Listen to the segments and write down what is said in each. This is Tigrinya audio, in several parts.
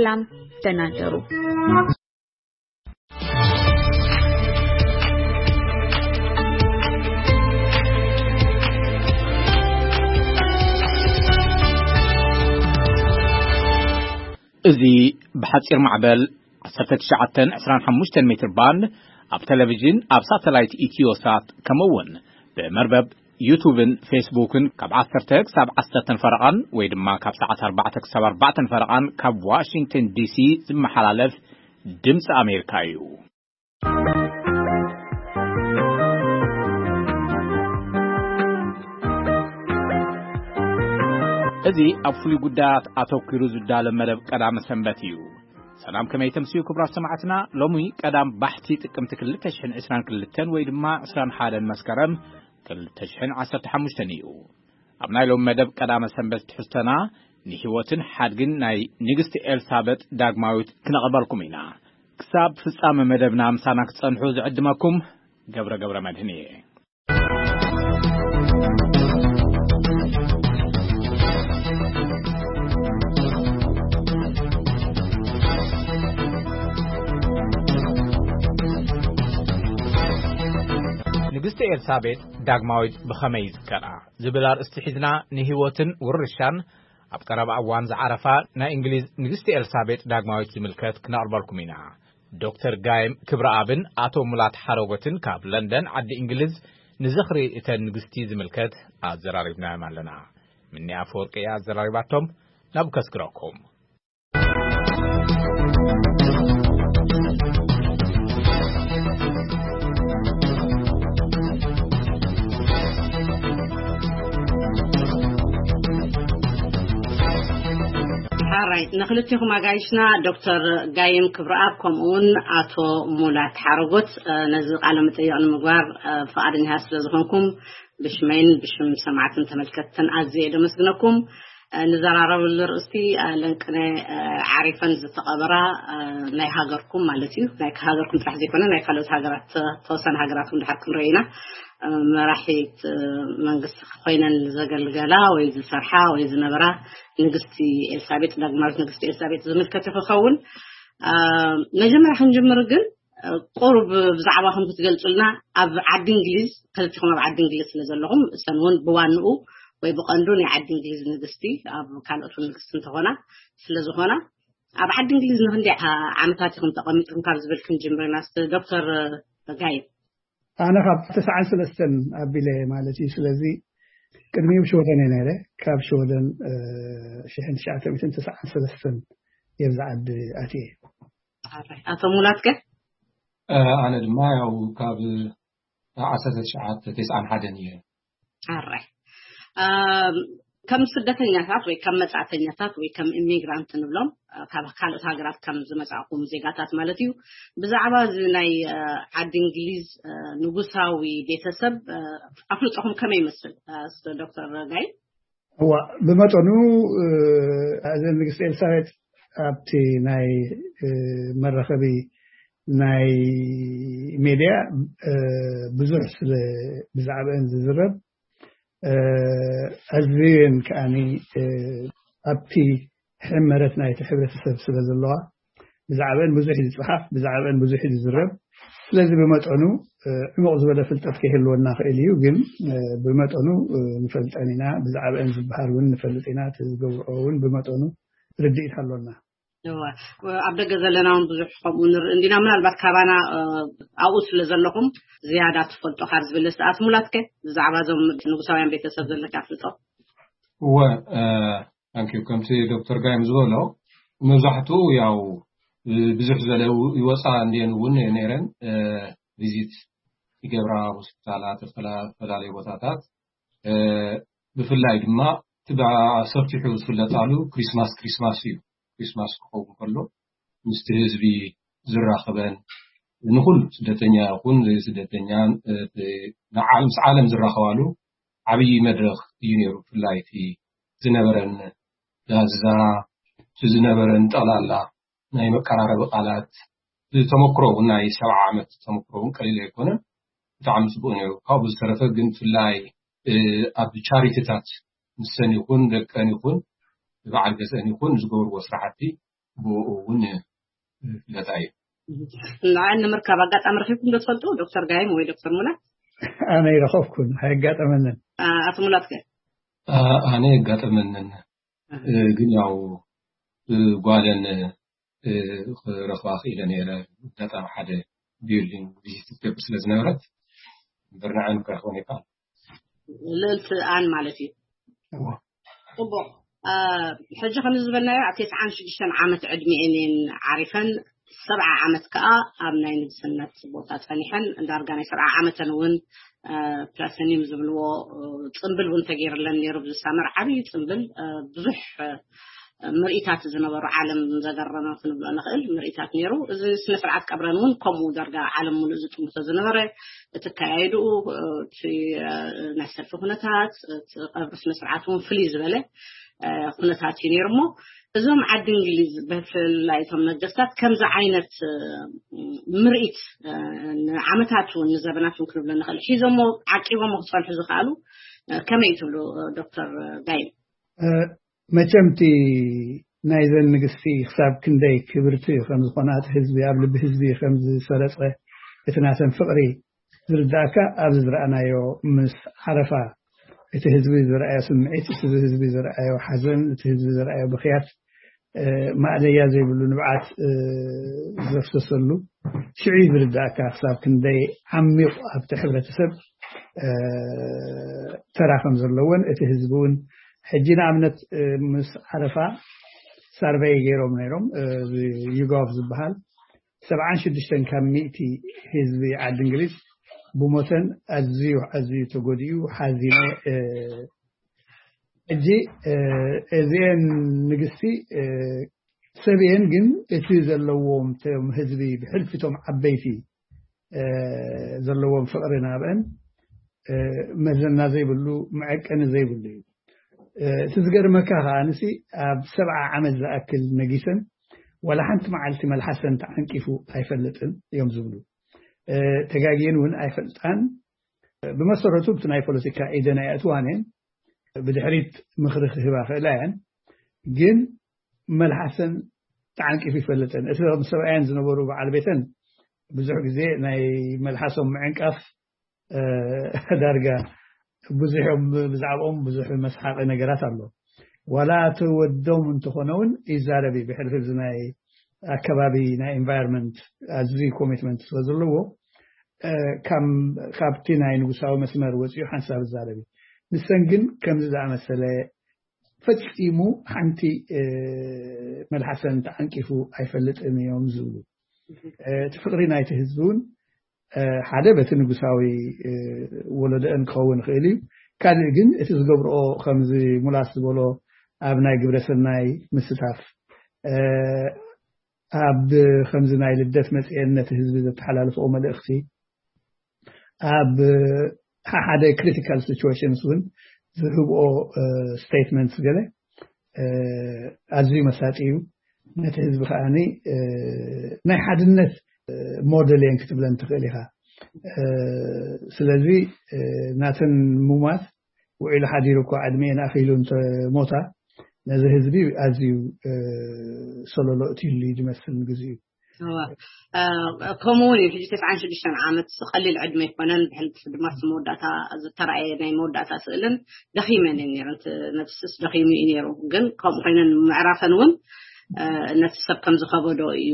ሰላም፣ ደህና እደሩ። እዚ ብሓጺር ማዕበል ዓሰርተ ትሽዓተ ዕስራን ሓሙሽተን ሜትር ባንድ ኣብ ቴሌቪዥን፣ ኣብ ሳተላይት ኢትዮሳት፣ ከምኡ እውን ብመርበብ ዩቱብን ፌስቡክን ካብ ዓሰርተ ክሳብ ዓሰርተ ፈረቓን ወይ ድማ ካብ ሰዓት ኣርባዕተ ክሳብ ኣርባዕተ ፈረቓን ካብ ዋሽንግተን ዲሲ ዝመሓላለፍ ድምፂ ኣሜሪካ እዩ። እዚ ኣብ ፍሉይ ጉዳያት ኣተኲሩ ዝዳለ መደብ ቀዳመ ሰንበት እዩ። ሰላም፣ ከመይ ተምስዩ ክቡራት ሰማዕትና? ሎሚ ቀዳም ባሕቲ ጥቅምቲ ክልተ ሽሕን ዕስራን ክልተን ወይ ድማ ዕስራን ሓደን መስከረም ክልተ ሽሕን ዓሰርተ ሓሙሽተን እዩ። ኣብ ናይ ሎሚ መደብ ቀዳመ ሰንበት ትሕዝቶና ንህይወትን ሓድግን ናይ ንግስቲ ኤልሳበጥ ዳግማዊት ክነቕርበልኩም ኢና። ክሳብ ፍጻመ መደብና ምሳና ክትጸንሑ ዝዕድመኩም ገብረ ገብረ መድህን እየ። ንግስቲ ኤልሳቤጥ ዳግማዊት ብኸመይ ይዝከራ ዝብል ኣርእስቲ ሒዝና ንህይወትን ውርሻን ኣብ ቀረባ እዋን ዝዓረፋ ናይ እንግሊዝ ንግስቲ ኤልሳቤጥ ዳግማዊት ዝምልከት ክነቕርበልኩም ኢና። ዶክተር ጋይም ክብረኣብን ኣቶ ሙላት ሓረጎትን ካብ ለንደን ዓዲ እንግሊዝ ንዝኽሪ እተን ንግስቲ ዝምልከት ኣዘራሪብናዮም ኣለና። ምኒ ኣፈወርቂ እያ ኣዘራሪባቶም። ናብ ከስግረኩም። ሓራይ ንክልቴኹም ኣጋይሽና ዶክተር ጋይም ክብረኣብ ከምኡውን ኣቶ ሙላት ሓረጎት፣ እ፣ ነዚ ቃለ መጠይቕ ንምግባር፣ እ፣ ፍቓደኛታት ስለ ዝኾንኩም ብሽመይን ብሽም ሰማዕትን ተመልከትትን ኣዝየ እየ ደመስግነኩም። እ፣ ንዘራረብሉ ርእስቲ፣ እ፣ ለንቅነ፣ እ፣ ዓሪፈን ዝተቐበራ፣ እ፣ ናይ ሃገርኩም ማለት እዩ። ናይ ሃገርኩም ጥራሕ ዘይኮነ ናይ ካልኦት ሃገራት፣ እ፣ ተወሰነ ሃገራት እውን ድሓር ክንርኢ ኢና። እ፣ መራሒት፣ እ፣ መንግስቲ ኮይነን ዘገልገላ ወይ ዝሰርሓ ወይ ዝነበራ ንግስቲ ኤልሳቤጥ፣ ዳግማዊት ንግስቲ ኤልሳቤጥ ዝምልከት እዩ ክኸውን። እ፣ መጀመርያ ክንጅምር ግን፣ እ፣ ቁሩብ ብዛዕባኹም ክትገልጹልና፣ ኣብ ዓዲ እንግሊዝ፣ ክልቲኹም ኣብ ዓዲ እንግሊዝ ስለ ዘለኹም፣ እሰን እውን ብዋንኡ ወይ ብቐንዱ ናይ ዓዲ እንግሊዝ ንግስቲ፣ ኣብ ካልኦት እውን ንግስቲ እንተኾና፣ ስለ ዝኾና፣ ኣብ ዓዲ እንግሊዝ ንክንደይ ዓ-፣ ዓመታት ኢኹም ተቐሚጥኩም ካብ ዝብል ክንጅምር ኢና። እስቲ ዶክተር ጋይም። ኣነ ካብ ተስዓን ሰለስተን ኣቢለ ማለት እዩ። ስለዚ ቅድሚኡ ሽወደን እየ ነይረ። ካብ ሽወደን፣ እ፣ ሽሕን ትሽዓተ ሚእትን ተስዓን ሰለስተን እየ ኣብዚ ዓዲ ኣትየ። ኣቶ ሙላት ከ? እ፣ ኣነ ድማ ያው ካብ ዓሰርተ ትሽዓተ ተስዓን ሓደን እየ። ኣራይ። ኣም፣ ከም ስደተኛታት ወይ ከም መጻእተኛታት ወይ ከም ኢሚግራንት ንብሎም፣ እ፣ ካብ ካልኦት ሃገራት ከም ዝመጻእኩም ዜጋታት ማለት እዩ። ብዛዕባ እዚ ናይ፣ እ፣ ዓዲ እንግሊዝ፣ እ፣ ንጉሳዊ ቤተሰብ፣ እ፣ ኣፍልጦኹም ከመይ ይመስል? እ፣ ስ-፣ ዶክተር ጋይ? እዋ፣ ብመጠኑ፣ እ፣ እዘን ንግስቲ ኤልሳቤጥ ኣብቲ ናይ፣ እ፣ መራኸቢ ናይ ሜድያ፣ እ፣ ብዙሕ ስለ ብዛዕባአን ዝዝረብ፣ እ፣ ኣዝየን ከኣኒ፣ እ፣ ኣብቲ ሕመረት ናይቲ ሕብረተሰብ ስለ ዘለዋ፣ ብዛዕባአን ብዙሕ እዩ ዝጸሓፍ፣ ብዛዕባአን ብዙሕ እዩ ዝዝረብ። ስለዚ ብመጠኑ፣ እ፣ ዕሙቕ ዝበለ ፍልጠት ከይህልወና ክእል እዩ፣ ግን፣ እ፣ ብመጠኑ፣ እ፣ ንፈልጠን ኢና። ብዛዕባአን ዝበሃል እውን ንፈልጥ ኢና። እቲ ዝገብርኦ እውን ብመጠኑ ርድኢት ኣሎና። እወ፣ ኣብ ደገ ዘለና እውን ብዙሕ ከምኡ ንርኢ እንዲና። ምናልባት ካባና፣ እ፣ ኣብኡ ስለ ዘለኹም ዝያዳ ትፈልጦ ካብ ዝብል፣ እስቲ ኣቶ ሙላትከ ብዛዕባ እዞም ንጉሳውያን ቤተሰብ ዘለካ ኣፍልጦ? እወ፣ እ፣ ታንኪዩ። ከምቲ ዶክተር ጋይም ዝበሎ፣ መብዛሕትኡ ያው፣ እ፣ ብዙሕ ዝበለ ው-፣ ይወፃ እንድየን እውን ነይረን፣ እ፣ ቪዚት ይገብራ ሆስፒታላት፣ ዝተፈላ-፣ ዝተፈላለዩ ቦታታት፣ እ፣ ብፍላይ ድማ እቲ ብሰፊሑ ዝፍለጣሉ ክሪስማስ፣ ክሪስማስ እዩ። ክሪስማስ ክኸውን ከሎ ምስቲ ህዝቢ ዝራኸበን፣ ንኹሉ ስደተኛ ይኹን ዘይስደተኛን፣ እ፣ ንዓ-፣ ምስ ዓለም ዝራኸባሉ ዓብዪ መድረኽ እዩ ነይሩ። ብፍላይ እቲ ዝነበረን ላዛ፣ እቲ ዝነበረን ጠቕላላ ናይ መቀራረቢ ቃላት፣ እቲ ተመክሮ እውን ናይ ሰብዓ ዓመት ተመክሮ እውን ቀሊል ኣይኮነን። ብጣዕሚ ጽቡቕ ነይሩ። ካብኡ ዝተረፈ ግን ብፍላይ፣ እ፣ ኣብ ቻሪቲታት ንሰን ይኹን ደቀን ይኹን በዓል ገዝአን ይኹን ዝገብርዎ ስራሕቲ ብኡ እውን ፍለጣ እዩ። ንዓን ንምርካብ ኣጋጣሚ ረኺብኩም ዶ ትፈልጡ? ዶክተር ጋይም ወይ ዶክተር ሙላት? ኣነ ይረኸብኩን፣ ኣይጋጠመንን። ኣቶ ሙላት ከ? ኣነ የጋጠመንን፣ ግን ያው ጓለን ክረኽባ ክኢለ ነይረ። ኣጋጣሚ ሓደ ቢልዲንግ ቪዚት ትገብር ስለ ዝነበረት፣ እምበር ንዓን ክረኽበን ይከኣል። ልእልቲ ኣን ማለት እዩ። ጽቡቕ። ሕጂ ከም ዝበልናዮ ኣብ ተስዓን ሽዱሽተን ዓመት ዕድሚኤን እየን ዓሪፈን። ሰብዓ ዓመት ከኣ ኣብ ናይ ንግስነት ቦታ ጸኒሐን፣ ዳርጋ ናይ ሰብዓ ዓመተን እውን ፕላሰኒም ዝብልዎ ጽምብል እውን ተገይርለን ነይሩ። ብዝሳመር ዓብዪ ጽምብል፣ ብዙሕ ምርኢታት ዝነበሩ፣ ዓለም ዘገረመ ክንብሎ ንኽእል ምርኢታት ነይሩ። እዚ ስነ ስርዓት ቀብረን እውን ከምኡ ዳርጋ ዓለም ሙሉእ ዝጥምቶ ዝነበረ፣ እቲ ኣካያይድኡ፣ እቲ ናይ ሰልፊ ኩነታት፣ እቲ ቀብሪ ስነ ስርዓት እውን ፍልይ ዝበለ ኩነታት እዩ ነይሩ። እሞ እዞም ዓዲ እንግሊዝ፣ ብፍላይ እቶም ነገስታት፣ ከምዚ ዓይነት ምርኢት ንዓመታት እውን ንዘበናት እውን ክንብሎ ንኽእል ሒዞሞ ዓቂቦሞ ክፀንሑ ዝኽኣሉ ከመይ ትብሉ ዶክተር ጋይም? መቸምቲ ናይዘን ንግስቲ ክሳብ ክንደይ ክብርቲ ከም ዝኾና፣ እቲ ህዝቢ ኣብ ልቢ ህዝቢ ከም ዝሰረጸ፣ እቲ ናተን ፍቕሪ ዝርዳእካ ኣብዚ ዝረኣናዮ ምስ ዓረፋ፣ እቲ ህዝቢ ዝረኣዮ ስምዒት፣ እቲ ህዝቢ ዝረኣዮ ሓዘን፣ እቲ ህዝቢ ዝረኣዮ ብኽያት፣ ማእለያ ዘይብሉ ንብዓት ዘፍሰሰሉ ሽዑ ዝርዳእካ ክሳብ ክንደይ ዓሚቕ ኣብቲ ሕብረተሰብ ተራ ከም ዘለዎን፣ እቲ ህዝቢ እውን ሕጂ ንኣብነት ምስ ዓረፋ ሳርቨይ ገይሮም ነይሮም፣ ዩጋቭ ዝበሃል ሰብዓን ሽዱሽተን ካብ ሚእቲ ህዝቢ ዓዲ እንግሊዝ ብሞተን ኣዝዩ ኣዝዩ ተጎዲኡ ሓዚነ። ሕጂ እዚአን ንግስቲ ሰብየን ግን እቲ ዘለዎም ቶም ህዝቢ ብሕልፊ ቶም ዓበይቲ ዘለዎም ፍቕሪ ናብአን መዘና ዘይብሉ መዐቀኒ ዘይብሉ እዩ። እቲ ዝገርመካ ከኣ ንሲ ኣብ ሰብዓ ዓመት ዝኣክል ነጊሰን ዋላ ሓንቲ መዓልቲ መልሓሰን ተዓንቂፉ ኣይፈልጥን እዮም ዝብሉ። ተጋግየን እውን ኣይፈልጣን። ብመሰረቱ ብቲ ናይ ፖለቲካ ኢደን ኣይኣትዋን እየን። ብድሕሪት ምኽሪ ክህባ ክእላ እየን፣ ግን መልሓሰን ተዓንቂፉ ይፈልጥን። እቲ ከም ሰብኣየን ዝነበሩ በዓል ቤተን ብዙሕ ግዜ ናይ መልሓሶም ምዕንቃፍ ዳርጋ ብዙሕ እዮም፣ ብዛዕባኦም ብዙሕ መስሓቂ ነገራት ኣሎ። ዋላ እቲ ወዶም እንተኾነ እውን ይዛረብ እዩ። ብሕልፊ እዚ ናይ ኣከባቢ ናይ ኢንቫይሮንመንት ኣዝዩ ኮሚትመንት ስለ ዘለዎ ካብቲ ናይ ንጉሳዊ መስመር ወፂኡ ሓንሳብ ይዛረብ እዩ። ንሰን ግን ከምዚ ዝኣመሰለ ፈጺሙ ሓንቲ መልሓሰን ተዓንቂፉ ኣይፈልጥን እዮም ዝብሉ። እቲ ፍቕሪ ናይቲ ህዝቢ እውን ሓደ በቲ ንጉሳዊ ወለዶአን ክኸውን ይኽእል እዩ። ካልእ ግን እቲ ዝገብርኦ ከምዚ ሙላስ ዝበሎ ኣብ ናይ ግብረ ሰናይ ምስታፍ፣ ኣብ ከምዚ ናይ ልደት መጽኤን ነቲ ህዝቢ ዘተሓላልፍኦ መልእኽቲ፣ ኣብ ሓደ ክሪቲካል ሲቹዌሽንስ እውን ዝህብኦ ስቴትመንትስ ገለ ኣዝዩ መሳጢ እዩ። ነቲ ህዝቢ ከዓኒ ናይ ሓድነት ሞዴል እየን ክትብለን ትኽእል ኢኻ። ስለዚ ናተን ምሟት ውዒሉ ሓዲሩ እኳ ዕድሜን ኣኺሉ እንተሞታ ነዚ ህዝቢ ኣዝዩ ሰለሎ እትይሉ እዩ ዝመስል ንግዚኡ። ከምኡ እውን እዩ። ሕጂ ተስዓን ሽዱሽተን ዓመት ቀሊል ዕድመ ኣይኮነን። ብሕልፊ ድማ እቲ መወዳእታ ዝተረኣየ ናይ መወዳእታ ስእልን ደኺመን እየን ነይረን። ነብስስ ደኺሙ እዩ ነይሩ። ግን ከምኡ ኮይነን ምዕራፈን እውን ነቲ ሰብ ከም ዝኸበዶ እዩ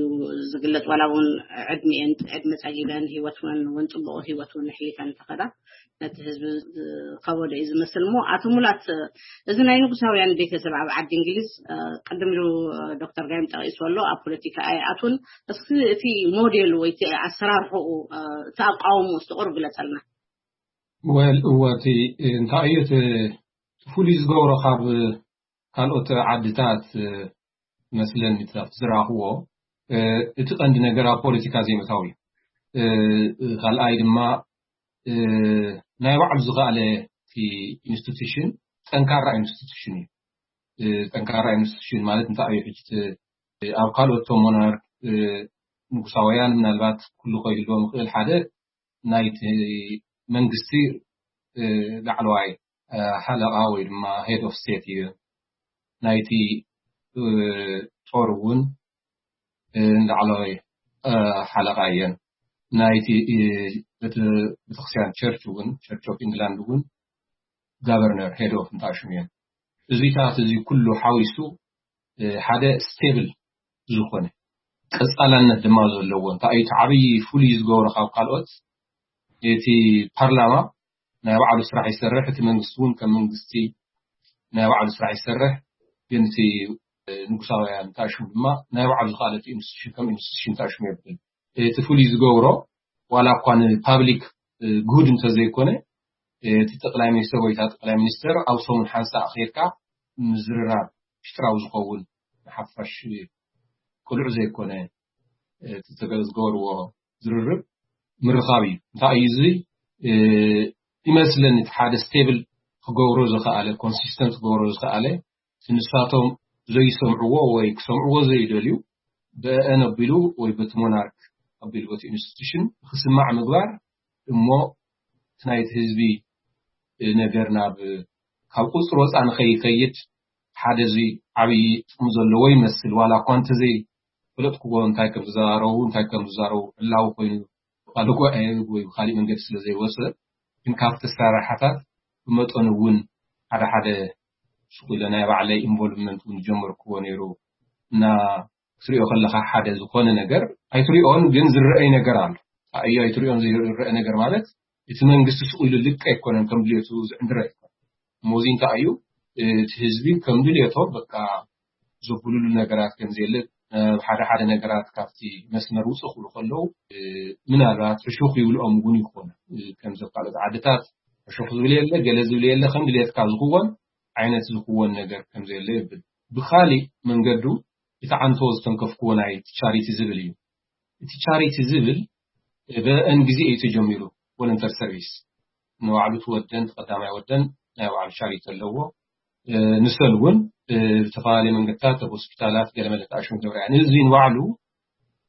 ዝግለጽ። ዋላ እውን ዕድሜን ዕድመ ጸጊበን ህይወት እውን እውን ጽቡቕ ህይወት እውን ኣሕሊፈን እንተኸዳ ነቲ ህዝቢ ዝኸበዶ እዩ ዝመስል። እሞ ኣቶ ሙላት፣ እዚ ናይ ንጉሳውያን ቤተሰብ ኣብ ዓዲ እንግሊዝ ቅድም ኢሉ ዶክተር ጋይም ጠቒሱ ኣሎ፣ ኣብ ፖለቲካ ኣይኣቱን። እስኪ እቲ ሞዴል ወይ እቲ ኣሰራርሕኡ፣ እቲ ኣቃውሞ እስቲ ቁሩብ ግለጸልና። ወል እወ እቲ እንታይ እዩ እቲ ፍሉይ ዝገብሮ ካብ ካልኦት ዓድታት መስለኒ ዝረኣኽዎ እቲ ቀንዲ ነገር ኣብ ፖለቲካ ዘይምእታው እዩ። ካልኣይ ድማ ናይ ባዕሉ ዝኸኣለ ኢንስቲቱሽን ጠንካራ ኢንስቲቱሽን እዩ። ጠንካራ ኢንስቲቱሽን ማለት እንታይ እዩ? ሕጂ ኣብ ካልኦት ሞናርክ ንጉሳውያን ምናልባት ኩሉ ከይህልዎም ይኽእል። ሓደ ናይቲ መንግስቲ ላዕለዋይ ሓለቓ ወይ ድማ ሄድ ኦፍ ስቴት እዩ። ናይቲ ጦር እውን ላዕለዋይ ሓለቓ እየን። ናይቲ ቤተክርስትያን ቸርች እውን፣ ቸርች ኦፍ ኢንግላንድ እውን ጋቨርነር፣ ሄድ ኦፍ እንተኣሽሙ እየን። እዚታት እዚ ኩሉ ሓዊሱ ሓደ ስቴብል ዝኾነ ቀፃላነት ድማ ዘለዎ እንታይ እዩ እቲ ዓብዪ ፍሉይ ዝገብሮ ካብ ካልኦት? እቲ ፓርላማ ናይ ባዕሉ ስራሕ ይሰርሕ፣ እቲ መንግስቲ እውን ከም መንግስቲ ናይ ባዕሉ ስራሕ ይሰርሕ። ግን እቲ ንጉሳውያን እንተኣሽሙ ድማ ናይ ባዕሉ ዝኽኣለት ኢንስቲቱሽን ከም ኢንስቲቱሽን እንተኣሽሙ የብል። እቲ ፍሉይ ዝገብሮ ዋላ እኳ ንፓብሊክ ጉድ እንተዘይኮነ፣ እቲ ጠቅላይ ሚኒስትር ወይ እታ ጠቅላይ ሚኒስትር ኣብ ሰሙን ሓንሳእ ከይድካ ምዝርራብ፣ ምሽጥራዊ ዝኸውን ንሓፋሽ ቅሉዕ ዘይኮነ እቲ ዝገበርዎ ዝርርብ ምርኻብ እዩ። እንታይ እዩ እዚ? ይመስለኒ እቲ ሓደ ስቴብል ክገብሮ ዝኸኣለ፣ ኮንሲስተንት ክገብሮ ዝኸኣለ፣ ንሳቶም ዘይሰምዕዎ ወይ ክሰምዕዎ ዘይደልዩ፣ ብአን ኣቢሉ ወይ በቲ ሞናርክ ኣቢሉ በቲ ኢንስቲቱሽን ክስማዕ ምግባር እሞ እቲ ናይቲ ህዝቢ ነገር ናብ ካብ ቁፅሪ ወፃ ንኸይከይድ ሓደ እዚ ዓብዪ ጥቕሚ ዘለዎ ይመስል። ዋላ እኳ እንተዘይ ፈለጥኩዎ እንታይ ከም ዝዛረቡ እንታይ ከም ዝዛረቡ ዕላዊ ኮይኑ ብቃል ጉባኤ ወይ ብካሊእ መንገዲ ስለ ዘይወፅእ፣ ግን ካብቲ ኣሰራርሓታት ብመጠኑ እውን ሓደ ሓደ ሱቕ ኢለ ናይ ባዕለይ ኢንቮልቭመንት እውን ጀመርክዎ ነይሩ። እና ክትሪኦ ከለካ ሓደ ዝኾነ ነገር ኣይትሪኦን፣ ግን ዝረኣይ ነገር ኣሎ። ኣዮ ኣይትሪኦን ዝረአ ነገር ማለት እቲ መንግስቲ ሱቕ ኢሉ ልቀ ኣይኮነን፣ ከም ድልየቱ ዝዕንድረ ኣይኮነን። እሞ እዚ እንታይ እዩ? እቲ ህዝቢ ከም ድልየቶ በቃ ዘብሉሉ ነገራት ከም ዘየለ፣ ሓደ ሓደ ነገራት ካብቲ መስመር ውፅእ ክብሉ ከለዉ ምናልባት ሕሹኽ ይብልኦም እውን ይኾነ። ከምዚ ኣብ ካልኦት ዓድታት ሕሹኽ ዝብል የለ፣ ገለ ዝብል የለ፣ ከም ድልየትካ ዝኽወን ዓይነት ዝኽወን ነገር ከም ዘየለ ይብል። ብኻሊእ መንገዱ እቲ ዓንቶ ዝተንከፍክዎ ናይ ቻሪቲ ዝብል እዩ። እቲ ቻሪቲ ዝብል ብአን ግዜ እዩ ተጀሚሩ። ቮለንተር ሰርቪስ ንባዕሉ እቲ ወደን እቲ ቀዳማይ ወደን ናይ ባዕሉ ቻሪቲ ኣለዎ። ንሰን እውን ብዝተፈላለየ መንገድታት ኣብ ሆስፒታላት ገለመለ ተኣሽሙ ገብረ እያ። እዚ ንባዕሉ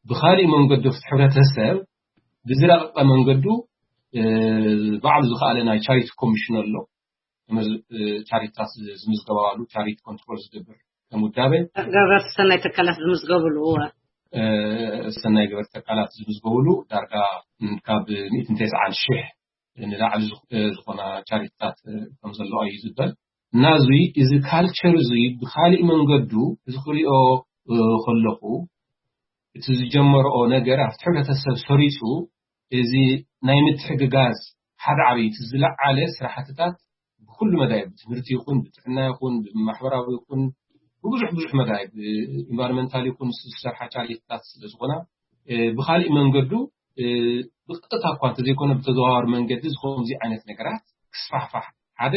ብኻሊእ መንገዱ ኣብቲ ሕብረተሰብ ብዝረቐቐ መንገዱ ባዕሉ ዝኸኣለ ናይ ቻሪቲ ኮሚሽን ኣሎ። ቻሪቲታት ዝምዝገባሉ ቻሪቲ ኮንትሮል ዝገብር ከም ውዳበ ገበርቲ ሰናይ ትካላት ዝምዝገብሉ። ሰናይ ገበርቲ ትካላት ዝምዝገብሉ ዳርጋ ካብ ሚእትን ተስዓን ሽሕ ንላዕሊ ዝኾና ቻሪቲታት ከም ዘለዋ እዩ ዝበል። እና እዚ እዚ ካልቸር እዚ ብካሊእ መንገዱ እዚ ክሪኦ ከለኹ እቲ ዝጀመረኦ ነገር ኣብቲ ሕብረተሰብ ሰሪፁ እዚ ናይ ምትሕግጋዝ ሓደ ዓብይቲ ዝለዓለ ስራሕትታት ብኩሉ መዳይ ብትምህርቲ ይኹን ብጥዕና ይኹን ብማሕበራዊ ይኹን ብብዙሕ ብዙሕ መዳይ ብኢንቫይሮንመንታል ይኹን ዝሰርሓ ቻሪቲታት ስለ ዝኾና ብካሊእ መንገዱ ብቀጥታ እኳ እንተዘይኮነ ብተዘዋዋሪ መንገዲ ዝኸምዚ ዓይነት ነገራት ክስፋሕፋሕ ሓደ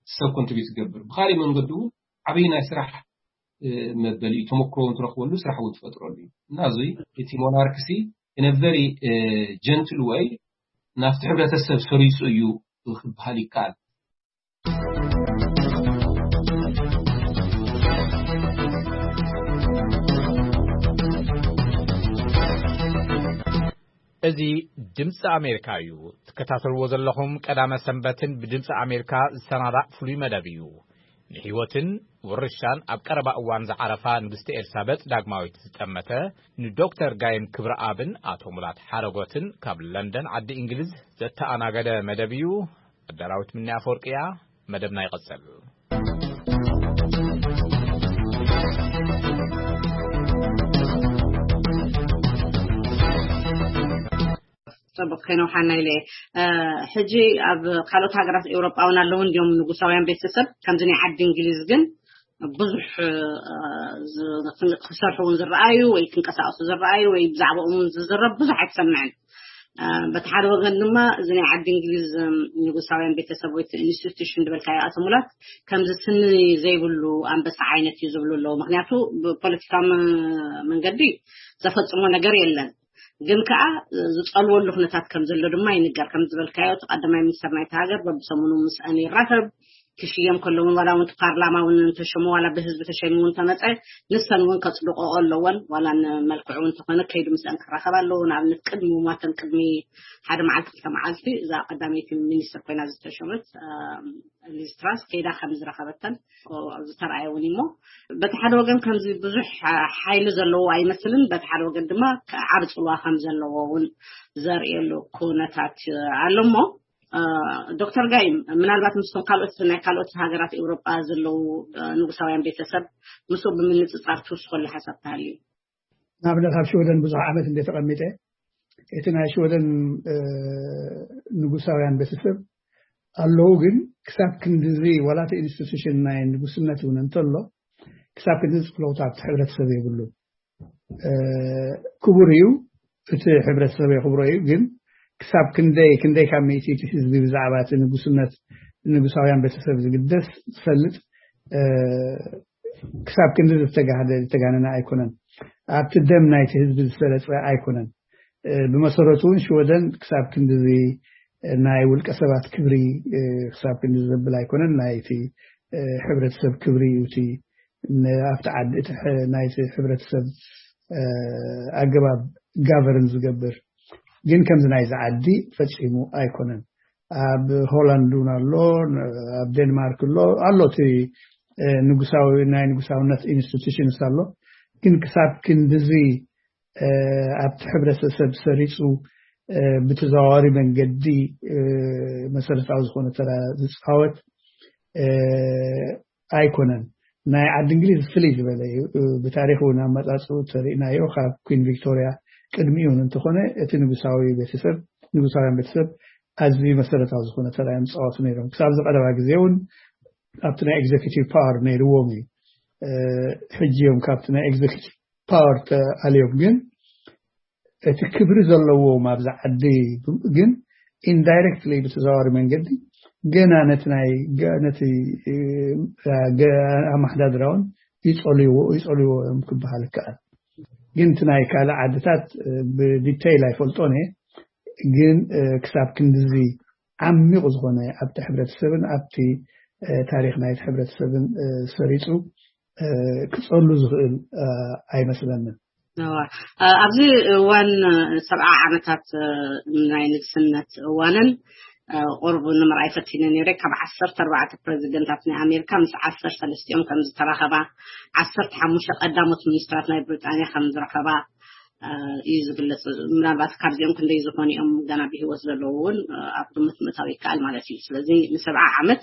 ሰብ ኮንትሪቢዩት ዝገብር ብካሊእ መንገዲ እውን ዓብዪ ናይ ስራሕ መበሊ ተመክሮ እውን ትረክበሉ ስራሕ እውን ትፈጥረሉ እዩ። እና እዚ እቲ ሞናርክሲ in a very gentle way ናብቲ ሕብረተሰብ ሰሪፁ እዩ ክበሃል ይከኣል። እዚ ድምፂ ኣሜሪካ እዩ። ትከታተልዎ ዘለኹም ቀዳመ ሰንበትን ብድምፂ ኣሜሪካ ዝሰናዳእ ፍሉይ መደብ እዩ። ንህይወትን ውርሻን ኣብ ቀረባ እዋን ዝዓረፋ ንግስቲ ኤልሳበጥ ዳግማዊት ዝጠመተ ንዶክተር ጋይም ክብረኣብን ኣቶ ሙላት ሓረጎትን ካብ ለንደን ዓዲ እንግሊዝ ዘተኣናገደ መደብ እዩ። ኣዳራዊት ምንያ ኣፈወርቂ እያ። መደብና ይቐጽል። ጽቡቅ ከይነውሓና ኢለ እየ። ሕጂ ኣብ ካልኦት ሃገራት ኤውሮጳ እውን ኣለዉ እንዲዮም ንጉሳውያን ቤተሰብ ከምዚ ናይ ዓዲ እንግሊዝ ግን ብዙሕ ክሰርሑ እውን ዝረኣዩ ወይ ክንቀሳቀሱ ዝረኣዩ ወይ ብዛዕባኦም እውን ዝዝረብ ብዙሕ ኣይትሰምዕን። በቲ ሓደ ወገን ድማ እዚ ናይ ዓዲ እንግሊዝ ንጉሳውያን ቤተሰብ ወይ ኢንስቲቱሽን ዝበልካዮ ኣቶ ሙላት ከምዚ ስኒ ዘይብሉ ኣንበሳ ዓይነት እዩ ዝብሉ ኣለዉ። ምክንያቱ ብፖለቲካዊ መንገዲ ዘፈፅሞ ነገር የለን። ግን ከዓ ዝፀልወሉ ኩነታት ከም ዘሎ ድማ ይንገር። ከም ዝበልካዮ እቲ ቀዳማይ ሚኒስትር ናይቲ ሃገር በብሰሙኑ ምስአን ይራኸብ። ክሽየም ከለውን ዋላ እውን ፓርላማ እውን እንተሸሙ ዋላ ብህዝቢ ተሸይሙ እውን ተመፀ ንሰን እውን ከፅድቆ ኣለወን። ዋላ ንመልክዑ እውን ተኾነ ከይዱ ምስአን ክራኸብ ኣለዎ። ንኣብነት ቅድሚ ሞተን ቅድሚ ሓደ መዓልቲ ክልተ መዓልቲ እዛ ቀዳመይቲ ሚኒስትር ኮይና ዝተሸመት ሊዝ ትራስ ከይዳ ከም ዝረኸበተን ዝተረኣየ እውን እሞ በቲ ሓደ ወገን ከምዚ ብዙሕ ሓይሊ ዘለዎ ኣይመስልን፣ በቲ ሓደ ወገን ድማ ዓብ ፅልዋ ከም ዘለዎ እውን ዘርእየሉ ኩነታት ኣሎ እሞ ዶክተር ጋይ ምናልባት ምስቶም ካልኦት ናይ ካልኦት ሃገራት ኤውሮጳ ዘለዉ ንጉሳውያን ቤተሰብ ምስኡ ብምንፅፃር ትውስኸሉ ሓሳብ ተሃልዩ? ንኣብነት ኣብ ሽወደን ብዙሕ ዓመት እንደ ተቐሚጠ እቲ ናይ ሽወደን ንጉሳውያን ቤተሰብ ኣለዉ፣ ግን ክሳብ ክንድዚ ዋላ እቲ ኢንስቲቱሽን ናይ ንጉስነት እውን እንተሎ ክሳብ ክንድዚ ፅለውታ ኣብቲ ሕብረተሰብ የብሉ። ክቡር እዩ፣ እቲ ሕብረተሰብ የኽብሮ እዩ። ግን ክሳብ ክንደይ ክንደይ ካብ ሚእቲ እቲ ህዝቢ ብዛዕባ እቲ ንጉስነት ንጉሳውያን ቤተሰብ ዝግደስ ዝፈልጥ ክሳብ ክንዲ ዝተጋህደ ዝተጋነነ ኣይኮነን። ኣብቲ ደም ናይቲ ህዝቢ ዝሰረፀ ኣይኮነን። ብመሰረቱ እውን ሽወደን ክሳብ ክንድዚ ናይ ውልቀ ሰባት ክብሪ ክሳብ ክንዲ ዘብል ኣይኮነን። ናይቲ ሕብረተሰብ ክብሪ እዩ እቲ ኣብቲ ዓዲ ናይቲ ሕብረተሰብ ኣገባብ ጋቨርን ዝገብር። ግን ከምዚ ናይዚ ዓዲ ፈፂሙ ኣይኮነን። ኣብ ሆላንድ እውን ኣሎ፣ ኣብ ዴንማርክ ኣሎ ኣሎ እቲ ንጉሳዊ ናይ ንጉሳውነት ኢንስቲቱሽንስ ኣሎ። ግን ክሳብ ክንድዚ ኣብቲ ሕብረተሰብ ሰሪፁ ብተዘዋዋሪ መንገዲ መሰረታዊ ዝኾነ ተራ ዝፃወት ኣይኮነን። ናይ ዓዲ እንግሊዝ ፍልይ ዝበለ እዩ። ብታሪክ እውን ኣመፃፅኡ ተሪእናዮ ካብ ኩን ቪክቶሪያ ቅድሚኡ እውን እንተኾነ እቲ ንጉሳዊ ቤተሰብ ንጉሳውያን ቤተሰብ ኣዝዩ መሰረታዊ ዝኾነ ተራ እዮም ዝፃወቱ ነይሮም። ክሳብ ዝቀረባ ግዜ እውን ኣብቲ ናይ ኤግዜኪቲቭ ፓወር ነይርዎም እዩ። ሕጂ እዮም ካብቲ ናይ ኤግዜኪቲቭ ፓወር ተኣልዮም፣ ግን እቲ ክብሪ ዘለዎም ኣብዚ ዓዲ ግን ኢንዳይሬክትሊ ብተዘዋዋሪ መንገዲ ገና ነቲ ናይ ነቲ ኣመሓዳድራውን ይፀልይዎ ይፀልይዎ እዮም ክበሃል ይከኣል። ግን እቲ ናይ ካልእ ዓድታት ብዲቴይል ኣይፈልጦን እየ። ግን ክሳብ ክንድዚ ዓሚቑ ዝኾነ ኣብቲ ሕብረተሰብን ኣብቲ ታሪክ ናይቲ ሕብረተሰብን ሰሪፁ ክፀሉ ዝኽእል ኣይመስለንን። ኣብዚ እዋን ሰብዓ ዓመታት ናይ ንግስነት እዋነን ቁርብ ንምርኣይ ፈቲነ ነይረ። ካብ ዓሰርተ ኣርባዕተ ፕረዚደንታት ናይ ኣሜሪካ ምስ ዓሰርተ ሰለስቲኦም ከም ዝተራኸባ፣ ዓሰርተ ሓሙሽተ ቀዳሞት ሚኒስትራት ናይ ብሪጣንያ ከም ዝረኸባ እዩ ዝግለጽ። ምናልባት ካብዚኦም ክንደይ ዝኾኑ እዮም ገና ብህይወት ዘለዉ እውን ኣብ ግምት ምእታው ይከኣል ማለት እዩ። ስለዚ ንሰብዓ ዓመት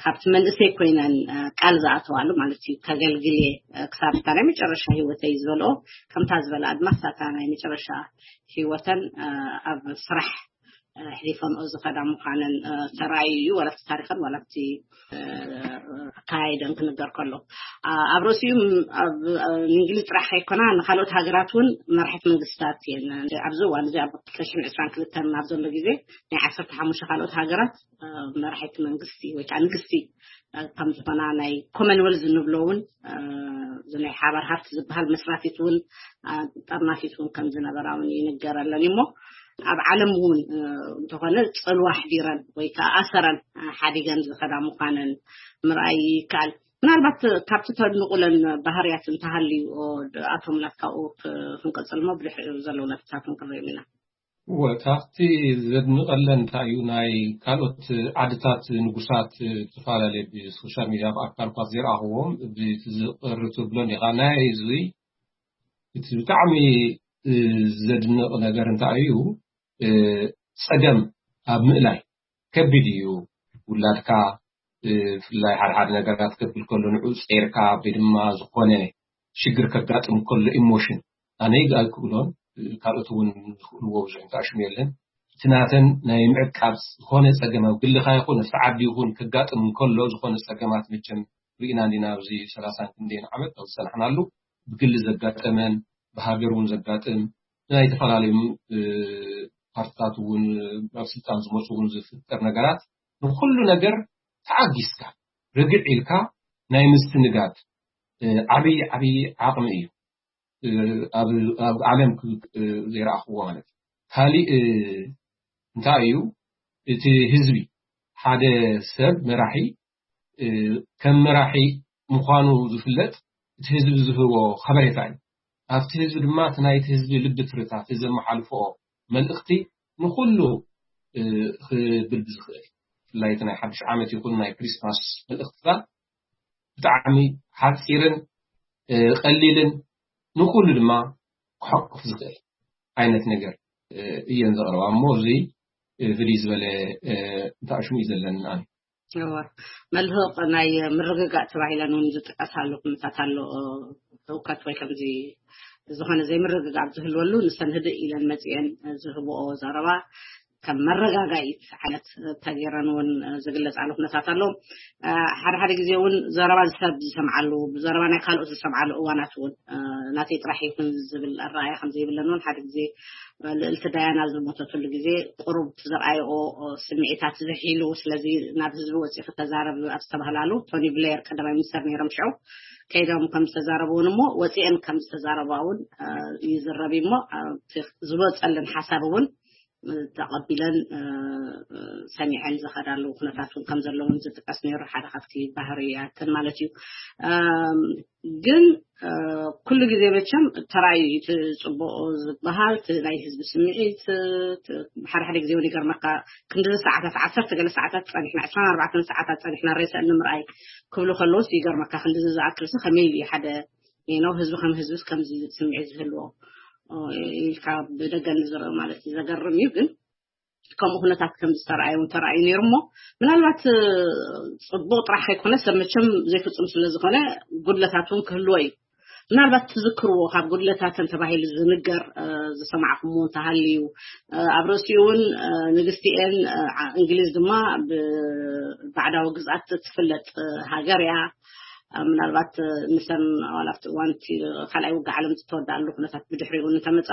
ካብቲ መንእሰይ ኮይነን ቃል ዝኣተዋሉ ማለት እዩ። ከገልግል እየ ክሳብ እታ ናይ መጨረሻ ህይወተይ ዝበልኦ ከምታ ዝበላ ድማ ክሳብ እታ ናይ መጨረሻ ህይወተን ኣብ ስራሕ ሕሊፈንኦ ዝኸዳ ምዃነን ተራእዩ እዩ። ዋላ ኣብቲ ታሪኸን ዋላ ኣብቲ ኣካያይደን ክንገር ከሎ ኣብ ርእሲኡ ኣብ እንግሊዝ ጥራሕ ከይኮና ንካልኦት ሃገራት እውን መራሒት መንግስታት እየን። ኣብዚ እዋን እዚ ኣብ ክልተ ሽሕን ዕስራን ክልተን ኣብ ዘሎ ግዜ ናይ ዓሰርተ ሓሙሽተ ካልኦት ሃገራት መራሒት መንግስቲ ወይ ከዓ ንግስቲ ከም ዝኾና ናይ ኮመንወልዝ እንብሎ እውን እዚ ናይ ሓባር ሃብቲ ዝበሃል መስራቲት እውን ጠርናፊት እውን ከም ዝነበራ እውን ይንገረለን እሞ ኣብ ዓለም እውን እንተኾነ ፅልዋ ኣሕዲረን ወይ ከዓ ኣሰረን ሓዲገን ዝኸዳ ምዃነን ምርኣይ ይከኣል። ምናልባት ካብቲ ተድንቑለን ባህርያት እንተሃልዩ ኣቶ ሙላት ካብኡ ክንቀፅል እሞ ብድሕሪኡ ዘለዉ ነጥብታት ክንሪኦም ኢና። እወ ካብቲ ዘድንቐለን እንታይ እዩ ናይ ካልኦት ዓድታት ንጉሳት ዝተፈላለየ ብሶሻል ሚድያ ብኣካል እኳ ዘይረኣኽዎም ዝቕር ትብሎን ኢኻ ናይ እዚ እቲ ብጣዕሚ ዘድንቕ ነገር እንታይ እዩ ፀገም ኣብ ምእላይ ከቢድ እዩ። ውላድካ ብፍላይ ሓደ ሓደ ነገራት ከብል ከሎ ንዑ ፀይርካ ወይ ድማ ዝኾነ ሽግር ከጋጥም ከሎ ኢሞሽን ኣነ ይግኣል ክብሎን ካልኦት እውን ዝኽእልዎ ብዙሕ እንተኣሽሙ የለን። እቲ ናተን ናይ ምዕቃብ ዝኾነ ፀገም ኣብ ግልኻ ይኹን ኣብቲ ዓዲ ይኹን ከጋጥም እንከሎ ዝኾነ ፀገማት መቸም ርኢና እንዲና ኣብዚ ሰላሳን ክንደይን ዓመት ኣብ ዝፀናሕናሉ ብግሊ ዘጋጠመን ብሃገር እውን ዘጋጥም ናይ ዝተፈላለዩ ፓርትታት እውን ኣብ ስልጣን ዝመፁ እውን ዝፍጠር ነገራት ንኩሉ ነገር ተዓጊስካ ርግዕ ኢልካ ናይ ምስትንጋድ ዓብዪ ዓብዪ ዓቕሚ እዩ። ኣብ ዓለም ዘይረኣኽዎ ማለት እዩ። ካሊእ እንታይ እዩ እቲ ህዝቢ ሓደ ሰብ መራሒ ከም መራሒ ምዃኑ ዝፍለጥ እቲ ህዝቢ ዝህቦ ከበሬታ እዩ። ኣብቲ ህዝቢ ድማ እቲ ናይቲ ህዝቢ ልቢ ትርታ፣ እቲ ዘመሓልፎ መልእኽቲ ንኹሉ ክብል ብዝኽእል፣ ብፍላይ እቲ ናይ ሓድሽ ዓመት ይኹን ናይ ክሪስማስ መልእኽትታት ብጣዕሚ ሓፂርን ቀሊልን ንኹሉ ድማ ክሓቁፍ ዝኽእል ዓይነት ነገር እየን ዘቕርባ። እሞ እዚ ፍልይ ዝበለ እንተኣሽሙ እዩ ዘለኒ ኣነ። መልህቕ ናይ ምርግጋእ ተባሂለን እውን ዝጥቀሳሉ ኩነታት ኣሎ። ህውከት ወይ ከምዚ ዝኾነ ዘይምርግጋእ ኣብ ዝህልወሉ ንሰን ህድእ ኢለን መፂአን ዝህብኦ ዘረባ ከም መረጋጋኢት ዓይነት ተገይረን እውን ዝግለፃሉ ኩነታት ኣሎ። ሓደ ሓደ ግዜ እውን ዘረባ ሰብ ዝሰምዓሉ፣ ብዘረባ ናይ ካልኦት ዝሰምዓሉ እዋናት እውን ናተይ ጥራሕ ይኹን ዝብል ኣረኣያ ከም ዘይብለን እውን ሓደ ግዜ ልእልቲ ዳያና ዝሞተትሉ ግዜ ቁሩብ ዘርኣይኦ ስምዒታት ዝሒሉ፣ ስለዚ ናብ ህዝቢ ወፂኢ ክተዛረብ ኣብ ዝተባህላሉ፣ ቶኒ ብሌር ቀዳማይ ሚኒስተር ነይሮም ሽዑ፣ ከይዶም ከም ዝተዛረቡ እውን እሞ ወፂአን ከም ዝተዛረባ እውን ይዝረብ እሞ ዝወፀለን ሓሳብ እውን ተቐቢለን ሰሚዐን ዝኸዳሉ ኩነታት እውን ከም ዘለውን ዝጥቀስ ነይሩ። ሓደ ካብቲ ባህርያትን ማለት እዩ። ግን ኩሉ ግዜ መቸም ተራእዩ እቲ ፅቡቕ ዝበሃል እቲ ናይ ህዝቢ ስምዒት ሓደ ሓደ ግዜ እውን ይገርመካ። ክንዲ ሰዓታት ዓሰርተ ገለ ሰዓታት ፀኒሕና፣ ዕስራን ኣርባዕተን ሰዓታት ፀኒሕና ሬሳ ንምርኣይ ክብሉ ከለውስ ይገርመካ። ክንዲ ዝኣክልሲ ከመይ ኢሉ ሓደ ነው ህዝቢ ከም ህዝቢ ከምዚ ስምዒት ዝህልዎ ኢልካ ብደገ ንዝርኢ ማለት እዩ። ዘገርም እዩ። ግን ከምኡ ኩነታት ከም ዝተረኣየ እውን ተረኣዩ ነይሩ እሞ ምናልባት ፅቡቕ ጥራሕ ከይኮነ ሰብ መቸም ዘይፍፁም ስለ ዝኾነ ጉድለታት እውን ክህልዎ እዩ። ምናልባት ትዝክርዎ ካብ ጉድለታተን ተባሂሉ ዝንገር ዝሰማዕኩምዎ እንተሃልዩ፣ ኣብ ርእሲኡ እውን ንግስቲኤን እንግሊዝ ድማ ብባዕዳዊ ግዝኣት ትፍለጥ ሃገር እያ። ምናልባት ንሰን ዋላ ኣብቲ እዋን እቲ ካልኣይ ውግእ ዓለም ዝተወዳኣሉ ኩነታት ብድሕሪኡ እንተመፃ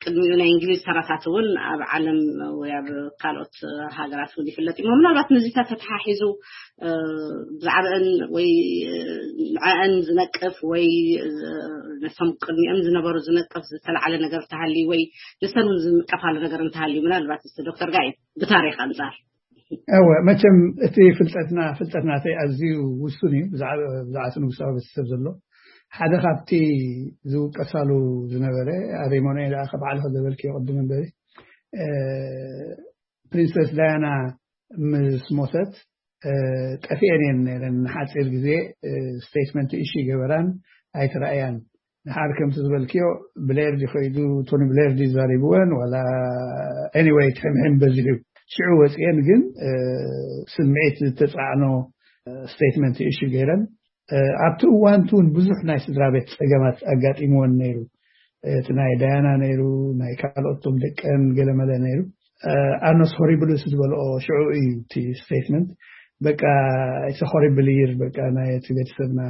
ቅድሚኡ ናይ እንግሊዝ ተራታት እውን ኣብ ዓለም ወይ ኣብ ካልኦት ሃገራት እውን ይፍለጥ እዩ። ምናልባት ነዚታት ተተሓሒዙ ብዛዕባአን ወይ ንዕአን ዝነቅፍ ወይ ነቶም ቅድሚኦም ዝነበሩ ዝነቅፍ ዝተለዓለ ነገር እንተሃልዩ ወይ ንሰን እውን ዝንቀፋሉ ነገር እንተሃልዩ ምናልባት እስቲ ዶክተር ጋይ ብታሪክ ኣንጻር እወ መቸም እቲ ፍልጠትና ፍልጠት ናተይ ኣዝዩ ውሱን እዩ። ብዛዕባ ብዛዕባ ንጉሳዊ ቤተሰብ ዘሎ ሓደ ካብቲ ዝውቀሳሉ ዝነበረ ኣበይ መኖ ደኣ ከባዕልኸ ዘበልክዮ ቅድም እምበሪ ፕሪንሰስ ዳያና ምስ ሞተት ጠፊአን እየን ነይረን። ንሓፂር ግዜ ስቴትመንት እሺ ገበራን ኣይተረኣያን። ንሓር ከምቲ ዝበልክዮ ብሌር ዲ ከይዱ ቶኒ ብሌር ዲ ዛሪብወን ዋላ ኤኒወይ ትሕምሕም በዚሑ ሽዑ ወፅአን። ግን ስምዒት ዝተፃዕኖ ስቴትመንት እሺ ገይረን ኣብቲ እዋን እውን ብዙሕ ናይ ስድራ ቤት ፀገማት ኣጋጢምወን ነይሩ። እቲ ናይ ዳያና ነይሩ፣ ናይ ካልኦቶም ደቀን ገለመለ ነይሩ። ኣኖስ ሆሪብልስ ዝበልኦ ሽዑ እዩ እቲ ስቴትመንት። በቃ እቲ ሆሪብል ይር በቃ ናይ እቲ ቤተሰብና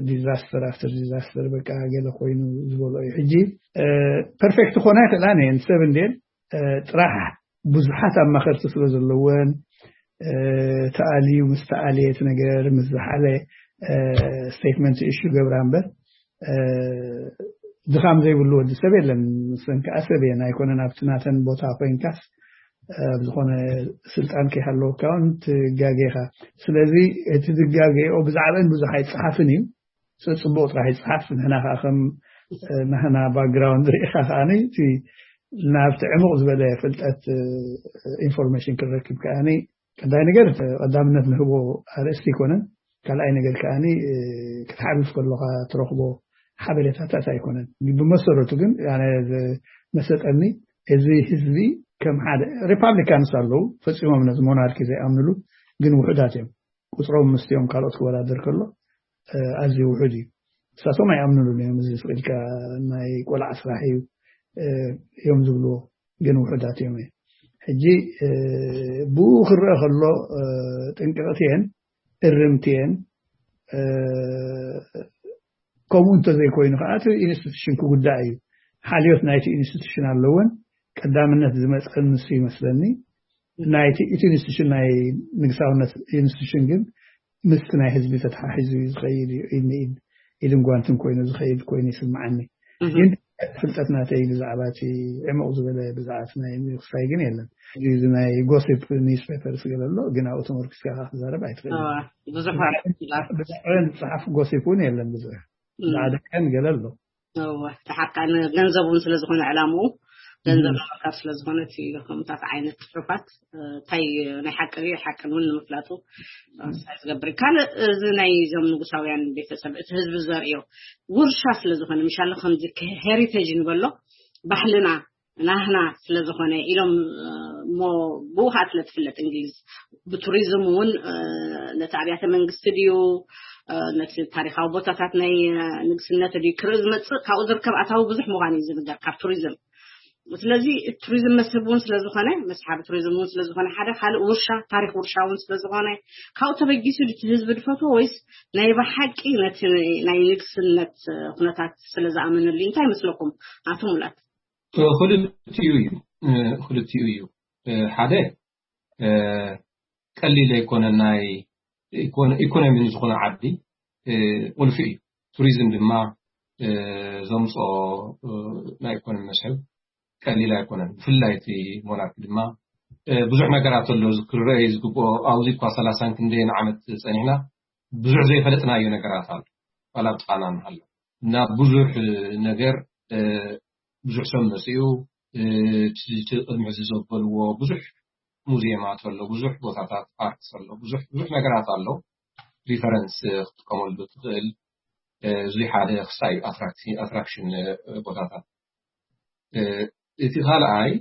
ዲዛስተር ኣፍተር ዲዛስተር በቃ ገለ ኮይኑ ዝበልኦ እዩ። ሕጂ ፐርፌክት ክኾና ይኽእላ እየን ሰብ እንዴን ጥራሕ ብዙሓት ኣማኸርቲ ስለ ዘለወን ተኣልዩ ምስ ተኣልየ እቲ ነገር ምስ ዝሓለ ስቴትመንት እሹ ገብራ እምበር ድኻም ዘይብሉ ወዲ ሰብ የለን። ንሰን ከዓ ሰብ እየን ኣይኮነን ኣብቲ ናተን ቦታ ኮይንካስ ኣብ ዝኾነ ስልጣን ከይሃለወካ እውን ትጋጌኻ። ስለዚ እቲ ዝጋገኦ ብዛዕባን ብዙሕ ኣይፀሓፍን እዩ። ጽቡቕ ጥራሕ ይጽሓፍ። ንሕና ከዓ ከም ናህና ባክግራውንድ ርኢኻ ከዓ እቲ ናብቲ ዕሙቕ ዝበለ ፍልጠት ኢንፎርሜሽን ክንረክብ ከዓ ቀዳይ ነገር ቀዳምነት ንህቦ ኣርእስቲ ኣይኮነን። ካልኣይ ነገር ከዓ ክትሓልፍ ከለካ ትረክቦ ሓበሬታታት ኣይኮነን። ብመሰረቱ ግን መሰጠኒ እዚ ህዝቢ ከም ሓደ ሪፓብሊካንስ ኣለዉ ፈፂሞም ነዚ ሞናርኪ ዘይኣምንሉ ግን ውሑዳት እዮም። ቁፅሮም ምስቲኦም ካልኦት ክወዳደር ከሎ ኣዝዩ ውሑድ እዩ። እሳቶም ኣይኣምንሉን እዮም። እዚ ስቕ ኢልካ ናይ ቆልዓ ስራሕ እዩ እዮም ዝብልዎ ግን ውሑዳት እዮም። ሕጂ ብኡ ክረአ ከሎ ጥንቅቕቲ እየን እርምቲ እየን። ከምኡ እንተዘይኮይኑ ከዓ እቲ ኢንስቲቱሽን ክጉዳእ እዩ። ሓልዮት ናይቲ ኢንስቲቱሽን ኣለወን። ቀዳምነት ዝመፀን ንሱ ይመስለኒ። ናይቲ እቲ ኢንስቲቱሽን ናይ ንግሳውነት ኢንስቲቱሽን ግን ምስ ናይ ህዝቢ ተተሓሒዙ እዩ ዝኸይድ እዩ። ኢድ ንኢድ ኢድን ጓንትን ኮይኑ ዝኸይድ ኮይኑ ይስምዓኒ። ግን ፍልጠት ናተይ ብዛዕባ እቲ ዕሙቕ ዝበለ ብዛዕባ እቲ ናይ ምንክስታይ ግን የለን። እዚ ናይ ጎሲፕ ኒውስ ፔፐርስ ገለ ኣሎ፣ ግን ኣብኡ ተመርኪስካ ክትዛረብ ኣይትኽእልን። ብዙሕ ብዛዕባ ዝፅሓፍ ጎሲፕ እውን የለን ብዙሕ። ብዛዕባ ደቀን ገለ ኣሎ። እወ፣ ተሓቃን ገንዘብ እውን ስለ ዝኾነ ዕላምኡ ገንዘብ ንምርካብ ስለ ዝኾነ እቲ ከምታት ዓይነት ጽሑፋት እንታይ ናይ ሓቂ እዩ ሓቅን እውን ንምፍላጡ ሳይ ዝገብር እዩ። ካልእ እዚ ናይ ዞም ንጉሳውያን ቤተሰብ እቲ ህዝቢ ዘርእዮ ውርሻ ስለ ዝኾነ ምሻለ ከምዚ ሄሪቴጅ ንበሎ ባህልና ናህና ስለ ዝኾነ ኢሎም እሞ ብኡ ከዓ ስለ ትፍለጥ እንግሊዝ ብቱሪዝም እውን ነቲ ኣብያተ መንግስቲ ድዩ ነቲ ታሪካዊ ቦታታት ናይ ንግስነት ድዩ ክርኢ ዝመፅእ ካብኡ ዝርከብ ኣታዊ ብዙሕ ምዃኑ እዩ ዝንገር ካብ ቱሪዝም። ስለዚ ቱሪዝም መስህብ እውን ስለዝኾነ መስሓቢ ቱሪዝም እውን ስለዝኾነ ሓደ ካልእ ውርሻ ታሪክ ውርሻ እውን ስለዝኾነ ካብኡ ተበጊሱ ድቲ ህዝቢ ድፈትዎ ወይስ ናይ ብሓቂ ነቲ ናይ ንግስነት ኩነታት ስለዝኣመነሉ እዩ? እንታይ ይመስለኩም ኣቶ ሙላት? ክልቲኡ እዩ። ክልቲኡ እዩ። ሓደ ቀሊል ኣይኮነ ናይ ኢኮኖሚ ዝኾነ ዓዲ ቁልፊ እዩ። ቱሪዝም ድማ ዘምፅኦ ናይ ኢኮኖሚ መስሕብ ቀሊል ኣይኮነን። ብፍላይ እቲ ሞናርኪ ድማ ብዙሕ ነገራት ኣሎ ክረአ ዝግብኦ። ኣብዚ እኳ ሰላሳን ክንደይን ዓመት ፀኒሕና ብዙሕ ዘይፈለጥናዮ ነገራት ኣሎ። ዋላ ብጥቃና ንሃሎ እና ብዙሕ ነገር ብዙሕ ሰብ መፅኡ እቲ ቅድሚ ሕዚ ዘበልዎ ብዙሕ ሙዚየማት ኣሎ፣ ብዙሕ ቦታታት ኣርትስ ኣሎ፣ ብዙሕ ብዙሕ ነገራት ኣሎ። ሪፈረንስ ክትጥቀመሉ ትኽእል። እዚ ሓደ ክሳይ ኣትራክሽን ቦታታት። እቲ ካልኣይ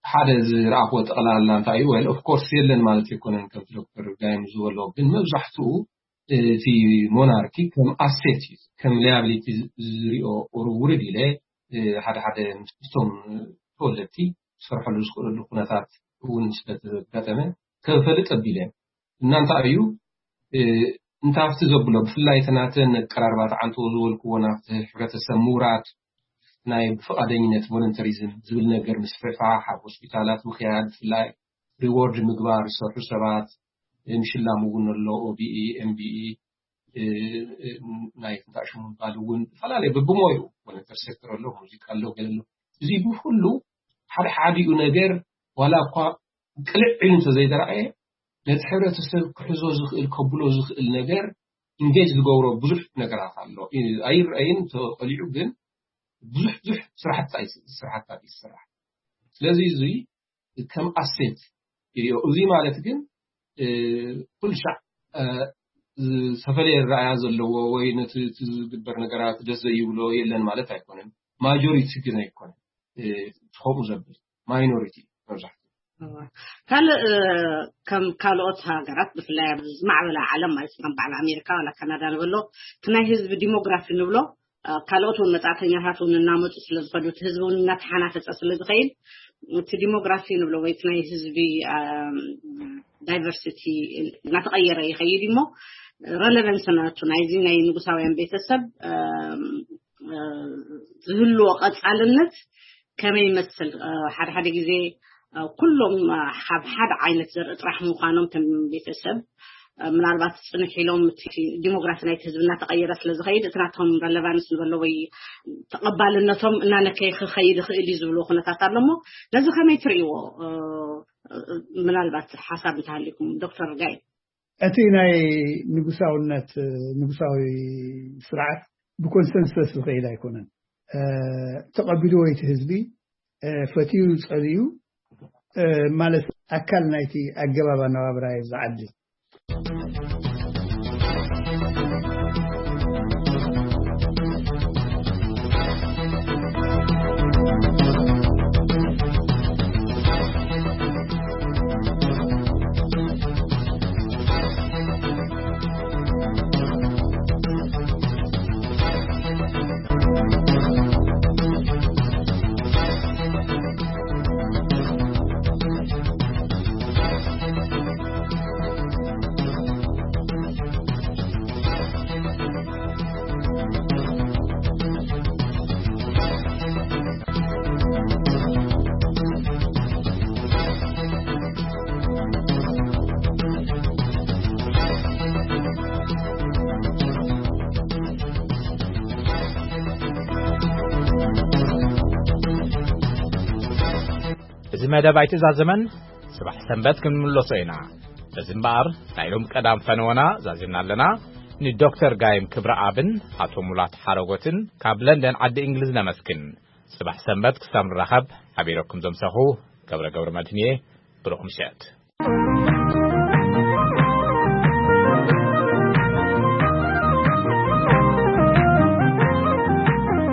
ሓደ ዝረኣኽዎ ጠቕላላ እንታይ እዩ? ወል ኦፍ ኮርስ የለን ማለት ኣይኮነን ከምቲ ዶክተር ጋይም ዝበሎ፣ ግን መብዛሕትኡ እቲ ሞናርኪ ከም ኣሴት እዩ፣ ከም ሊያብሊቲ ዝሪኦ ውርድ ኢለ ሓደ ሓደ ምስቶም ተወለድቲ ዝሰርሐሉ ዝኽእለሉ ኩነታት እውን ስለተጋጠመ ከፈልጥ ኣቢለ እና እንታይ እዩ እንታፍቲ ዘብሎ ብፍላይ እቲ ናተን ኣቀራርባ ተዓንቶ ዝበልክዎ ናብቲ ሕብረተሰብ ምውራድ ናይ ብፍቓደኝነት ቮለንተሪዝም ዝብል ነገር ምስፍሕፋሕ ኣብ ሆስፒታላት ምኽያድ ብፍላይ ሪዎርድ ምግባር ዝሰርሑ ሰባት ምሽላም እውን ኣሎ። ኦቢኢ ኤምቢኢ ናይ ትንታእ ሽሙ ምባል እውን ዝተፈላለየ ብብሞዩ ቮለንተር ሴክተር ኣሎ፣ ሙዚቃ ኣሎ፣ ገለ ኣሎ። እዚ ብኩሉ ሓደ ሓዲኡ ነገር ዋላ እኳ ቅልዕ ኢሉ እንተዘይተረኣየ ነቲ ሕብረተሰብ ክሕዞ ዝኽእል ከብሎ ዝኽእል ነገር ኢንጌጅ ዝገብሮ ብዙሕ ነገራት ኣሎ። ኣይረኣይን ተቐሊዑ ግን ብዙሕ ብዙሕ ስራሕቲ ስራሕታት ይስራሕ። ስለዚ እዚ ከም ኣሴት ይሪኦ። እዚ ማለት ግን ኩሉ ሻዕ ዝተፈለየ ረኣያ ዘለዎ ወይ ነቲ ዝግበር ነገራት ደስ ዘይብሎ የለን ማለት ኣይኮነን። ማጆሪቲ ግን ኣይኮነን ከምኡ ዘብል ማይኖሪቲ መብዛሕትኡ። ካልእ ከም ካልኦት ሃገራት ብፍላይ ኣብ ዝማዕበላ ዓለም ማለት ከም በዓል ኣሜሪካ ዋላ ካናዳ ንበሎ እቲ ናይ ህዝቢ ዲሞግራፊ ንብሎ ካልኦት እውን መጻእተኛታት እውን እናመፁ ስለ ዝኸዱ እቲ ህዝቢ እውን እናተሓናፈፀ ስለ ዝኸይድ እቲ ዲሞግራፊ ንብሎ ወይ እቲ ናይ ህዝቢ ዳይቨርሲቲ እናተቐየረ ይኸይድ እሞ ረለቨንስ ናቱ ናይዚ ናይ ንጉሳውያን ቤተሰብ ዝህልዎ ቀፃልነት ከመይ ይመስል? ሓደ ሓደ ግዜ ኩሎም ካብ ሓደ ዓይነት ዘርኢ ጥራሕ ምዃኖም ከም ቤተሰብ ምናልባት ፅንሕ ኢሎም እቲ ዲሞግራፊ ናይቲ ህዝቢ እናተቐየረ ስለ ዝኸይድ እቲ ናቶም ረለቫንስ ንበሎ ወይ ተቐባልነቶም እናነከየ ክኸይድ ይኽእል እዩ ዝብልዎ ኩነታት ኣሎ እሞ ነዚ ከመይ ትርእይዎ? ምናልባት ሓሳብ እንተሃሊኩም ዶክተር ጋይ። እቲ ናይ ንጉሳውነት ንጉሳዊ ስርዓት ብኮንሰንሰስ ዝኸይድ ኣይኮነን። ተቐቢልዎ እቲ ህዝቢ ፈትዩ ጸልዩ ማለት ኣካል ናይቲ ኣገባብ ኣነባብራ እዩ ዝዓዲ። መደብ ኣይትዛዘመን፣ ጽባሕ ሰንበት ክንምለሶ ኢና። በዚ እምበኣር ናይ ሎም ቀዳም ፈነወና ዛዚምና ኣለና። ንዶክተር ጋይም ክብረኣብን ኣቶ ሙላት ሓረጎትን ካብ ለንደን ዓዲ እንግሊዝ ነመስግን። ጽባሕ ሰንበት ክሳብ ንራኸብ ሓቢረኩም ዘምሰኹ ገብረ ገብረ መድህን እየ። ብሩኽ ምሸት።